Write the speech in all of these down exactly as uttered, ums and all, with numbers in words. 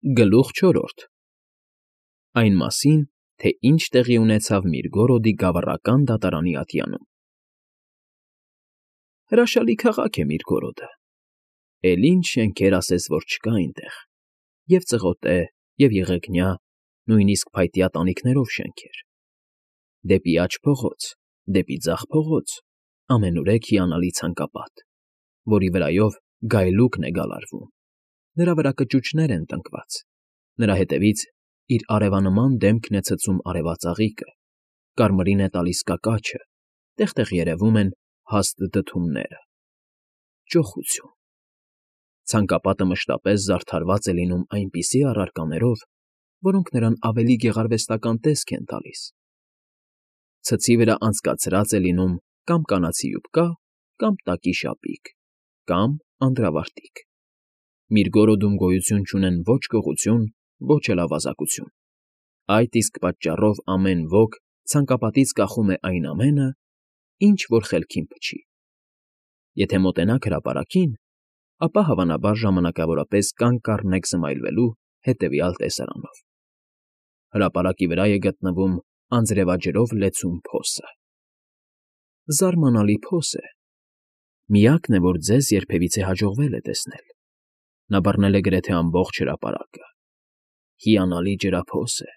Գլուխ չորրորդ Այն մասին, թե ինչ տեղի ունեցավ Միրգորոդի գավառական դատարանի ատյանում։ Հրաշալի քաղաք է Միրգորոդը, էլ ինչ շենքեր ասես որ չկա այնտեղ, և ծղոտե, և եղեգնյա, նույնիսկ փայտյա տանիքներով շենքեր, դեպի աջ փողոց, դեպի ձախ փողոց, ամենուրեք հիանալի ցանկապատ, որի վրայով գայլուկն է գալարվում, նրա վրա կճուճներ են տնկված, նրա ետևից իր արևանման դեմքն է ցցում արևածաղիկը, կարմիրին է տալիս կակաչը, տեղ֊տեղ երևում են հաստ դդումները… Ճոխություն… Ցանկապատը մշտապես զարդարված է լինում այնպիսի առարկաներով, որոնք նրան ավելի գեղարվեստական տեսք են տալիս. ցցի վրա անցկացրած է լինում կամ կանացի յուբկա, կամ տակի շապիկ, կամ անդրավարտիք. Միրգորոդում գոյություն չունեն ոչ գողություն, ոչ էլ ավազակություն, այդ իսկ պատճառով ամեն ոք ցանկապատից կախում է այն ամենը, ինչ որ խելքին փչի. եթե մոտենաք հրապարակին, ապա հավանաբար ժամանակավորապես կանգ կառնեք զմայլվելու հետևյալ տեսարանով. հրապարակի վրա է գտնվում անձրևաջրով լեցուն փոսը… Զարմանալի փոս է, միակն է, որ ձեզ երբևիցե հաջողվել է տեսնել. նա բռնել է գրեթե ամբողջ հրապարակը… Հիանալի ջրափոս է,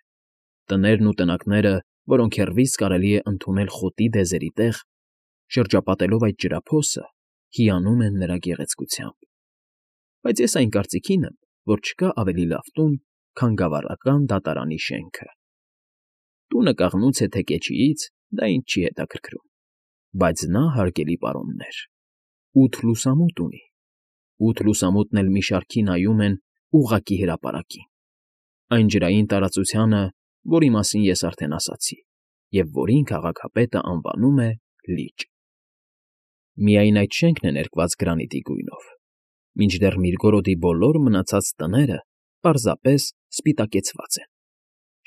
տներն ու տնակները, որոնք հեռվից կարելի է ընդունել խոտի դեզերի տեղ, շրջապատելով այդ ջրափոսը, հիանում են նրա գեղեցկությամբ… Բայց ես այն կարծիքին եմ, որ չկա ավելի լավ տուն, քան գավառական դատարանի շենքը… Տունը կաղնուց է թե կեչիից, դա ինձ չի հետաքրքրում, բայց նա, հարգելի պարոններ, ութ լուսամուտ ունի, ութ լուսամուտն էլ մի շարքի նայում են ուղղակի հրապարակին, այն ջրային տարածությանը, որի մասին ես արդեն ասացի, և որին քաղաքապետը անվանում է Լիճ… Միայն այդ շենքն է ներկված գրանիտի գույնով, մինչդեռ Միրգորոդի բոլոր մնացած տները պարզապես սպիտակեցված են,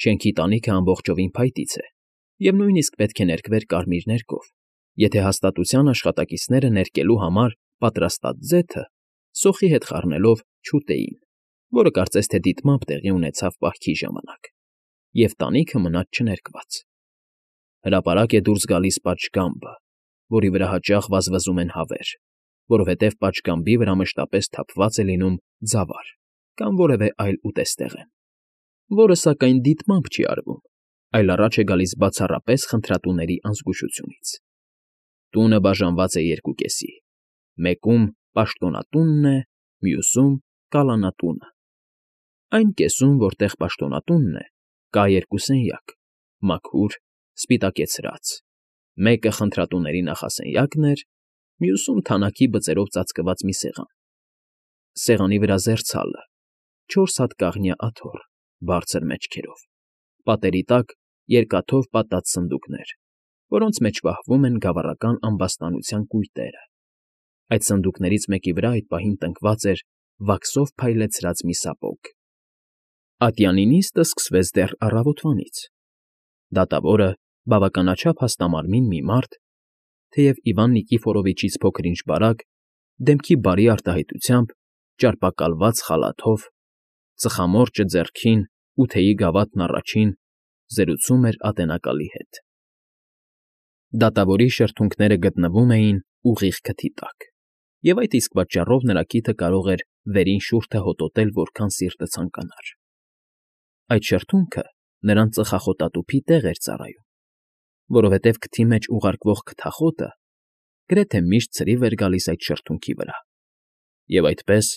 շենքի տանիքը ամբողջովին փայտից է և նույնիսկ պետք է ներկվեր կարմիր ներկով, եթե հաստատության աշխատակիցները ներկելու համար պատրաստած ձեթը սոխի հետ խառնելով չուտեին, որը կարծես թե դիտմամբ տեղի ունեցավ պահքի ժամանակ, և տանիքը մնաց չներկված… Հրապարակ է դուրս գալիս պատշգամբը, որի վրա հաճախ վազվզում են հավեր, որովհետև պատշգամբի վրա մշտապես թափված է լինում ձավար կամ որևէ այլ ուտեստեղեն, որը, սակայն, դիտմամբ չի արվում, այլ առաջ է գալիս բացառապես խնդրատուների անզգուշությունից… Տունը բաժանված է երկուկեսի, մեկում պաշտոնատունն է, մյուսում՝ կալանատունը… Այն կեսում, որտեղ պաշտոնատունն է, կա երկու սենյակ, մաքուր, սպիտակեցրած, մեկը խնդրատուների նախասենյակն էր, մյուսում թանաքի բծերով ծածկված մի սեղան, սեղանի վրա զեռցալը, չորս հատ կաղնյա աթոռ, բարձր մեջքերով, պատերի տակ երկաթով պատած սնդուկներ, որոնց մեջ պահվում են գավառական ամբաստանության կույտերը, այդ սնդուկներից մեկի վրա այդ պահին տնկված էր վաքսով փայլեցրած մի սապոգ… Ատյանի նիստը սկսվեց դեռ առավոտվանից… Դատավորը, բավականաչափ հաստամարմին մի մարդ, թեև Իվան Նիկիֆորովիչից փոքր֊ինչ բարակ, դեմքի բարի արտահայտությամբ, ճարպակալված խալաթով, ծխամորճը ձեռքին ու թեյի գավաթն առաջին, զրուցում էր ատենակալի հետ… Դատավորի շրթունքները գտնվում էին ուղիղ քթի տակ, և այդ իսկ պատճառով նրա քիթը կարող էր վերին շուրջը հոտոտել որքան սիրտը ցանկանար… Այդ շրթունքը նրան ծխախոտատուփի տեղ էր ծառայում, որովհետև քթի մեջ ուղարկվող քթախոտը գրեթե միշտ ցրիվ էր գալիս այդ շրթունքի վրա, և այդպես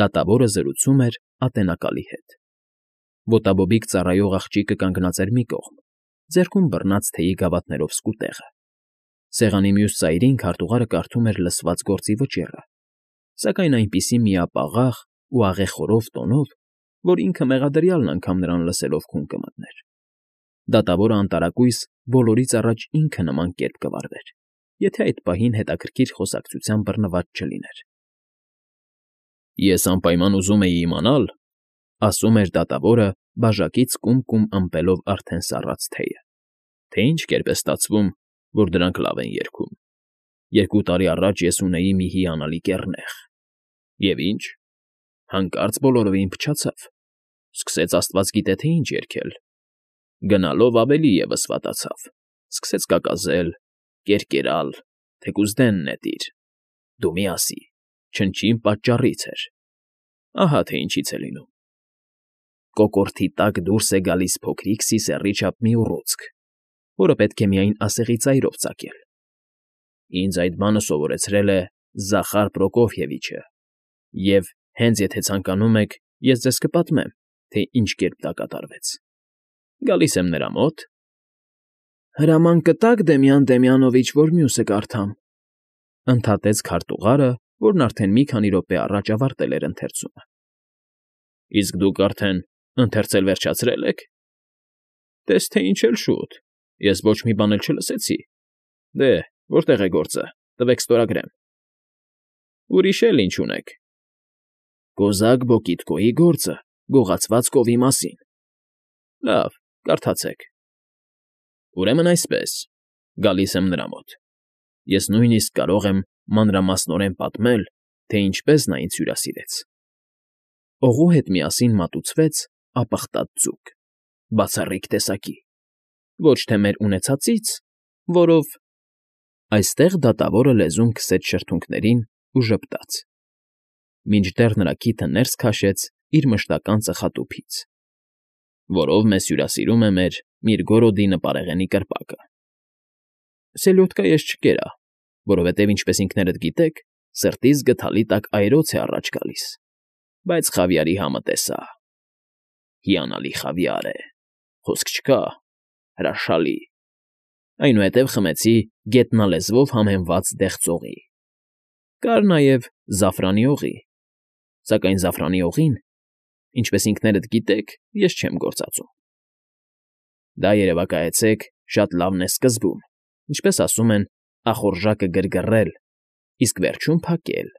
դատավորը զրուցում էր ատենակալի հետ… Ոտաբոբիկ ծառայող աղջիկը կանգնած էր մի կողմ, ձեռքում բռնած թեյի գավաթներով սկուտեղը, սեղանի մյուս ծայրին քարտուղարը կարդում էր լսված գործի վճիռը, սակայն այնպիսի միապաղաղ ու աղեխորով տոնով, որ ինքը մեղադրյալն անգամ նրան լսելով քուն կմտներ… Դատավորը անտարակույս բոլորից առաջ ինքը նման կերպ կվարվեր, եթե այդ պահին հետաքրքիր խոսակցության բռնված չլիներ… Ես անպայման ուզում էի իմանալ, ֊ ասում էր դատավորը բաժակից կում֊կում ըմպելով արդեն սառած թեյը, ֊ թե ինչ կերպ է ստացվում, որ դրանք լավ են երգում… Երկու տարի առաջ ես ունեի մի հիանալի կեռնեխ… Եվ ինչ, հանկարծ բոլորովին փչացավ, Սկսեց աստված գիտե թե ինչ երգել։ Գնալով ավելի ևս վատացավ, սկսեց կակազել, կերկերալ, թեկուզ դեն նետիր, դու մի ասի, չնչին պատճառից էր, ահա թե ինչից է լինում։ Կոկորդի տակ դուրս է գալիս փոքրիկ սիսեռի չափ մի ուռուցք, որը պետք է միայն ասեղի ծայրով ծակել։ Ինձ այդ բանը սովորեցրել է Զախար Պրոկոֆիևիչը, և հենց եթե ցանկանում եք, ես ձեզ կպատմեմ, թե ինչ կերպ դա կատարվեց։ Գալիս եմ նրա մոտ։ Հրաման կտա՞ք, Դեմյան Դեմյանովիչ, որ մյուսը կարդամ, ընդհատեց քարտուղարը, որն արդեն մի քանի րոպե առաջ ավարտել էր ընթերցումը։ Իսկ դուք արդեն ընթերցել վերջացրել եք։ Տես թե ինչ էլ շուտ, ես ոչ մի բան էլ չլսեցի։ Դե, որտեղ է գործը, տվեք ստորագրեմ։ Ուրիշ էլ ինչ ունեք։ Կոզակ Բոկիտկոյի գործը, գողացված կովի մասին։ Լավ, կարդացեք։ Ուրեմն այսպես, գալիս եմ նրա մոտ։ Ես նույնիսկ կարող եմ մանրամասնորեն պատմել, թե ինչպես նա ինձ հյուրասիրեց։ Օղու հետ միասին մատուցվեց ապխտած ձուկ, բացառիկ տեսակի, ոչ թե մեր ունեցածից, որով… Այստեղ դատավորը լեզուն քսեց շրթունքներին ու ժպտաց, մինչդեռ նրա քիթը ներս քաշեց իր մշտական ծխատուփից, որով մեզ հյուրասիրում է մեր Միրգորոդի նպարեղենի կրպակը։ Սելյոդկա ես չկերա, որովհետև, ինչպես ինքներդ գիտեք, սրտիս գդալի տակ այրոց է առաջ գալիս, բայց խավիարի համը տեսա։ Հիանալի խավիար է, խոսք չկա, հրաշալի։ Այնուհետև խմեցի գետնալեզվով համեմված դեղցողի։ Կար նաև զաֆրանի օղի, սակայն զաֆրանի օղին, ինչպես ինքներդ գիտեք, ես չեմ գործածում։ Դա երևակայեցեք շատ լավն է սկզբում, ինչպես ասում են, ախորժակը գրգռել, իսկ վերջում փակել։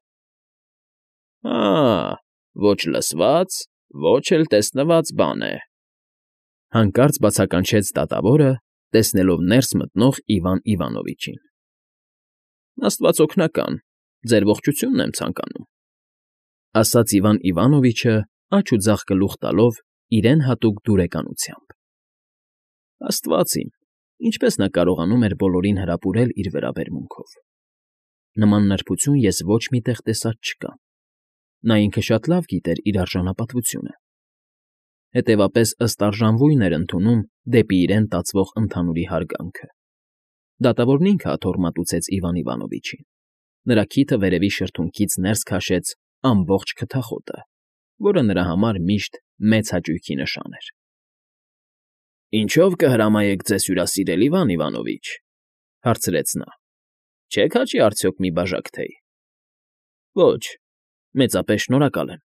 Ա՜, ոչ լսված, ոչ էլ տեսնված բան է, հանկարծ բացականչեց դատավորը, տեսնելով ներս մտնող Իվան Իվանովիչին։ Աստված օգնական, ձեր ողջությունն եմ ցանկանում, ասաց Իվան Իվանովիչը, աջ ու ձախ գլուխ տալով իրեն հատուկ դուրեկանությամբ։ Աստված իմ, ինչպես նա կարողանում էր բոլորին հրապուրել իր վերաբերմունքով։ Նման նրբություն ես ոչ մի տեղ տեսած չկամ։ Նա ինքը շատ լավ գիտեր իր արժանապատվությունը։ Հետևապես ըստ արժանվույն էր ընդունում դեպի իրեն տածվող ընդհանուրի հարգանքը։ Դատավորն ինքը աթոռ մատուցեց Իվան Իվանովիչին։ Նրա քիթը վերևի շրթունքից ներս քաշեց ամբողջ քթախոտը, որը նրա համար միշտ մեծ հաճույքի նշան էր։ Ինչո՞վ կհրամայեք ձեզ հյուրասիրել, Իվան Իվանովիչ, հարցրեց նա։ Չեք հաճի արդյոք մի բաժակ թեյ։ Ոչ, մեծապես շնորհակալ եմ,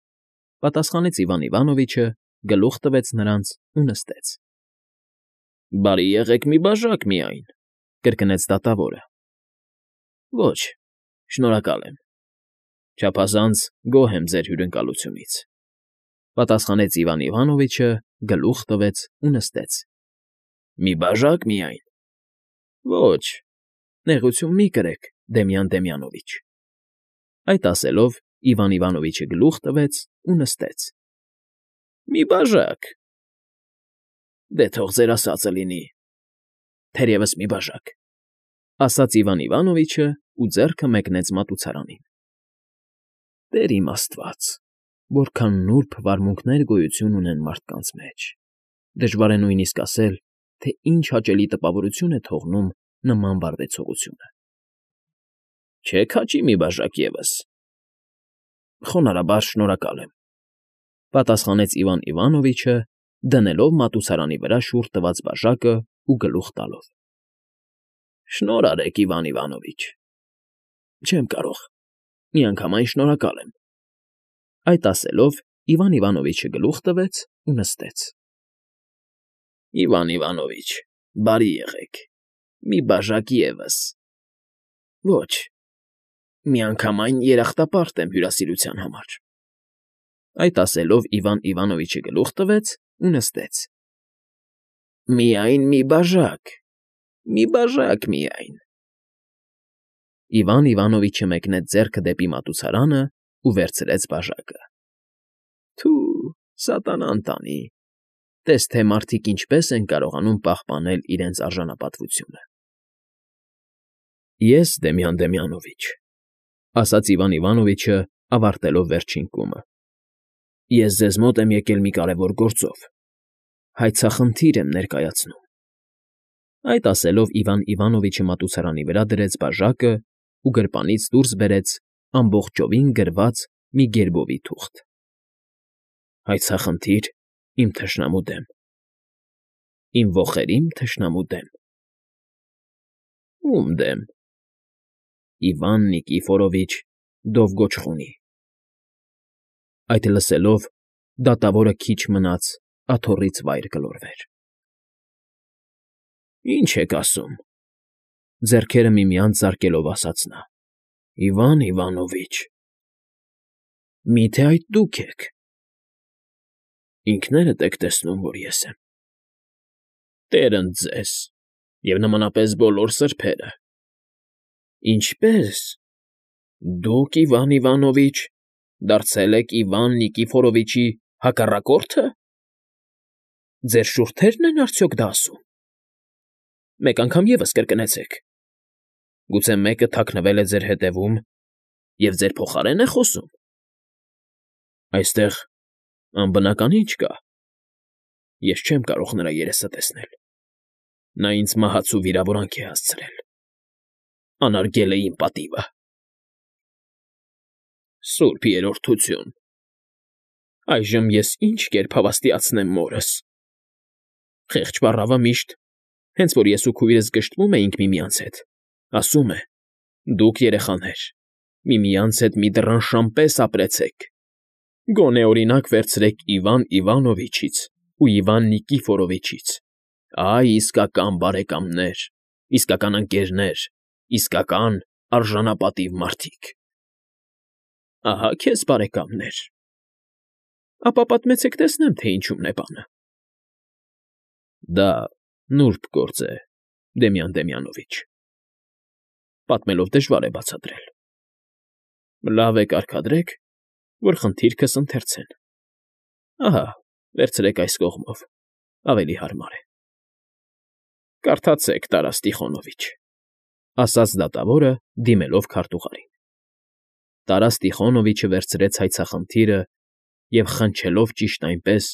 պատասխանեց Իվան Իվանովիչը, գլուխ տվեց նրանց ու նստեց։ Բարի եղեք մի բաժակ միայն, կրկնեց դատավորը։ Ոչ, շնորհակալ եմ։ Չափազանց գոհ եմ ձեր հյուրընկալությունից, պատասխանեց Իվան Իվանովիչը, գլուխ տվեց ու նստեց։ Մի բաժակ միայն։ Ոչ, նեղություն մի կրեք, Դեմյան Դեմյանովիչ։ Այդ ասելով Իվան Իվանովիչը գլուխ տվեց ու նստեց։ Մի բաժակ։ Դե թող ձեր ասածը լինի։ Թերևս մի բաժակ, ասաց Իվան Իվանովիչը ու ձեռքը մեկնեց մատուցարանին։ Տեր իմ Աստված, որքան նուրբ վարմունքներ գոյություն ունեն մարդկանց մեջ։ Դժվար է նույնիսկ ասել, թե ինչ հաճելի տպավորություն է թողնում նման վարվեցողությունը։ Չեք հաճի մի բաժակ ևս։ Խոնարհաբար շնորհակալ եմ, պատասխանեց Իվան Իվանովիչը, դնելով մատուցարանի վրա շուռ տված բաժակը ու գլուխ տալով։ Շնորհ արեք, Իվան Իվանովիչ։ Չեմ կարող, միանգամայն շնորհակալ եմ։ Այդ ասելով Իվան Իվանովիչը գլուխ տվեց ու նստեց։ Իվան Իվանովիչ, բարի եղեք, մի բաժակ ևս։ Ոչ, միանգամայն երախտապարտ եմ հյուրասիրության համար։ Այդ ասելով Իվան Իվանովիչը գլուխ տվեց ու նստեց։ Միայն մի բաժակ, մի բաժակ միայն։ Իվան Իվանովիչը մեկնեց ձեռքը դեպի մատուցարանը ու վերցրեց բաժակը։ Թու, Սատանան տանի, տես թե մարդիկ ինչպես են կարողանում պահպանել իրենց արժանապատվությունը։ ֊ Ես, Դեմյան Դեմյանովիչ,֊ ասաց Իվան Իվանովիչը, ավարտելով վերջին կումը,֊ ես ձեզ մոտ եմ եկել մի կարևոր գործով, հայցախնդիր եմ ներկայացնում… Այդ ասելով Իվան Իվանովիչը մատուցարանի վրա դրեց բաժակն ու գրպանից դուրս բերեց ամբողջովին գրված մի գերբովի թուղթ։ ֊ Հայցախնդիր իմ թշնամու դեմ, իմ ոխերիմ թշնամու դեմ։ ֊ Ո՞ւմ դեմ։ ֊ Իվան Նիկիֆորովիչ Դովգոչխունի։ Այդ լսելով դատավորը քիչ մնաց աթոռից վայր գլորվեր։ ֊ Ի՞նչ եք ասում,֊ ձեռքերը միմյանց զարկելով ասաց նա,֊ Իվան Իվանովիչ… Մի՞թե այդ դուք եք։ ֊ Ինքներդ եք տեսնում, որ ես եմ։ ֊ Տեր ընդ ձեզ և նմանապես բոլոր սրբերը… Ինչպե՞ս… Դուք, Իվան Իվանովիչ, դարձել եք Իվան Նիկիֆորովիչի հակառակո՞րդը… Ձեր շուրթե՞րն են արդյոք դա ասում… Մեկ անգամ ևս կրկնեցեք… Գուցե մեկը թաքնվել է ձեր ետևում և ձեր փոխարե՞ն է խոսում… Այստեղ անբնականի՞ ինչ կա… Ես չեմ կարող նրա երեսը տեսնել… Նա ինձ մահացու վիրավորանք է հասցրել… Անարգել է իմ պատիվը… Սուրբ Երրորդություն… Այժմ ես ի՞նչ կերպ հավաստիացնեմ մորս… Խեղճ պառավը միշտ, հենց որ ես ու քույրս գժտվում էինք միմյանց հետ, ասում է. «Դուք, երեխաներ, միմյանց հետ մի դռան պես ապրեցեք… Գոնե օրինակ վերցրեք Իվան Իվանովիչից ու Իվան Նիկիֆորովիչից… Այ իսկական բարեկամներ, իսկական ընկերներ, իսկական արժանապատիվ մարդիկ… Ահա քեզ բարեկամներ… Ապա պատմեցեք տեսնեմ, թե ինչումն է բանը… ֊ Դա նուրբ գործ է, Դեմյան Դեմյանովիչ… Պատմելով դժվար է բացատրել… Լավ է կարգադրեք, որ խնդիրքս ընթերցեն… Ահա, վերցրեք այս կողմով, ավելի հարմար է… Կարդացեք, Տարաս Տիխոնովիչ,֊ ասաց դատավորը, դիմելով քարտուղարին… Տարաս Տիխոնովիչը վերցրեց հայցախնդիրը և, խնչելով ճիշտ այնպես,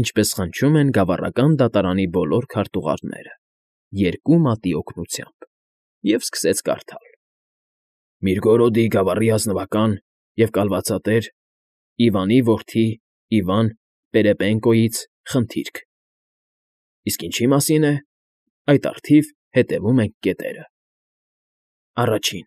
ինչպես խնչում են գավառական դատարանի բոլոր քարտուղարները, երկու մատի օգնությամբ, և սկսեց կարդալ. Միրգորոդի գավառի ազնվական և կալվածատեր Իվանի որդի Իվան Պերեպենկոյից խնդիրք… Իսկ ինչի մասին է, այդ առթիվ հետևում ենք կետերը… Առաջին.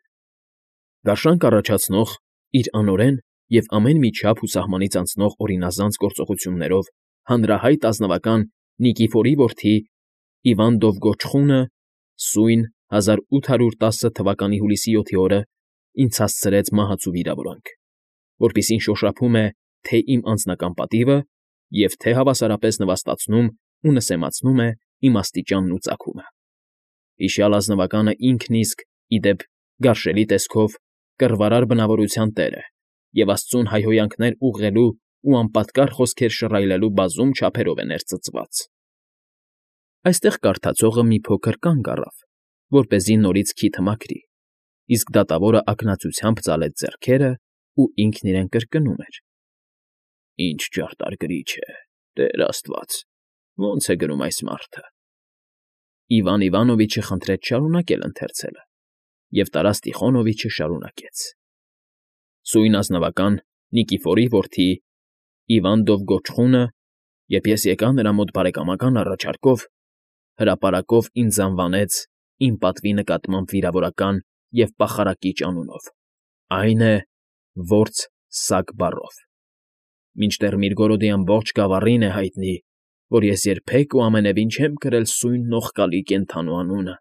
Գարշանք առաջացնող, իր անօրեն և ամեն մի չափ ու սահմանից անցնող օրինազանց գործողություններով հանրահայտ ազնվական Նիկիֆորի որդի Իվան Դովգոչխունը սույն հազար ութ հարյուր տասը թվականի հուլիսի յոթի օրը ինձ հասցրեց մահացու վիրավորանք, որպիսին շոշափում է թե՛ իմ անձնական պատիվը և թե՛ հավասարապես նվաստացնում ու նսեմացնում է իմ աստիճանն ու ծագումը… Հիշյալ ազնվականը ինքն իսկ, ի դեպ, գարշելի տեսքով, կռվարար բնավորության տեր է և աստծուն հայհոյանքներ ուղղելու ու անպատկառ խոսքեր շռայլելու բազում չափերով է ներծծված… Այստեղ կարդացողը մի փոքր կանգ առավ, որպեսզի նորից քիթը մաքրի, իսկ դատավորը ակնածությամբ ծալեց ձեռքերն ու ինքն իրեն կրկնում էր. Ինչ ճարտար գրիչ է, Տեր աստված… Ո՞նց է գրում այս մարդը… Իվան Իվանովիչը խնդրեց շարունակել ընթերցելը, և Տարաս Տիխոնովիչը շարունակեց. Սույն ազնվական Նիկիֆորի որդի Իվան Դովգոչխունը, երբ ես եկա նրա մոտ բարեկամական առաջարկով, հրապարակով ինձ անվանեց իմ պատվի նկատմամբ վիրավորական և պախարակիչ անունով, այն է, որց Սագ բառով, մինչդեռ Միրգորոդի ամբողջ գավառին է հայտնի, որ ես երբեք ու ամենևին չեմ կրել սույն նողկալի կենդանու անունը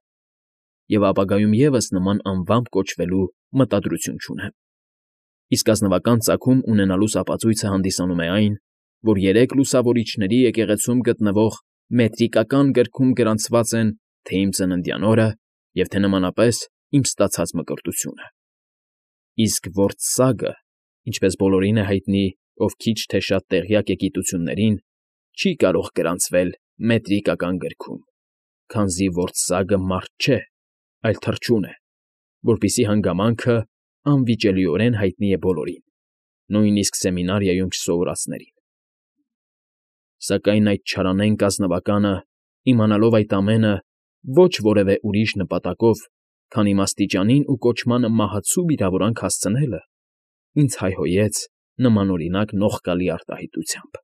և ապագայում ևս նման անվամբ կոչվելու մտադրություն չունեմ… Իսկ ազնվական ծագում ունենալուս ապացույցը հանդիսանում է այն, որ երեք լուսավորիչների եկեղեցում գտնվող մետրիկական գրքում գրանցված են թե՛ իմ ծննդյան օրը և թե՛ նմանապես իմ ստացած մկրտությունը… Իսկ որց Սագը, ինչպես բոլորին է հայտնի, ով քիչ թե շատ տեղյակ է գիտություններին, չի կարող գրանցվել մետրիկական գրքում, քանզի որսագը մարդ չէ, այլ թռչուն է, որպիսի հանգամանքը անվիճելիորեն հայտնի է բոլորին, նույնիսկ սեմինարիայում չսովորածներին։ Սակայն այդ չարանենկ ազնվականը, իմանալով այդ ամենը, ոչ որևէ ուրիշ նպատակով, քան իմաստիճանին ու կոչմանը մահացու վիրավորանք հասցնելը, ինձ հայհոյեց նմանօրինակ նողկալի արտահայտությամբ։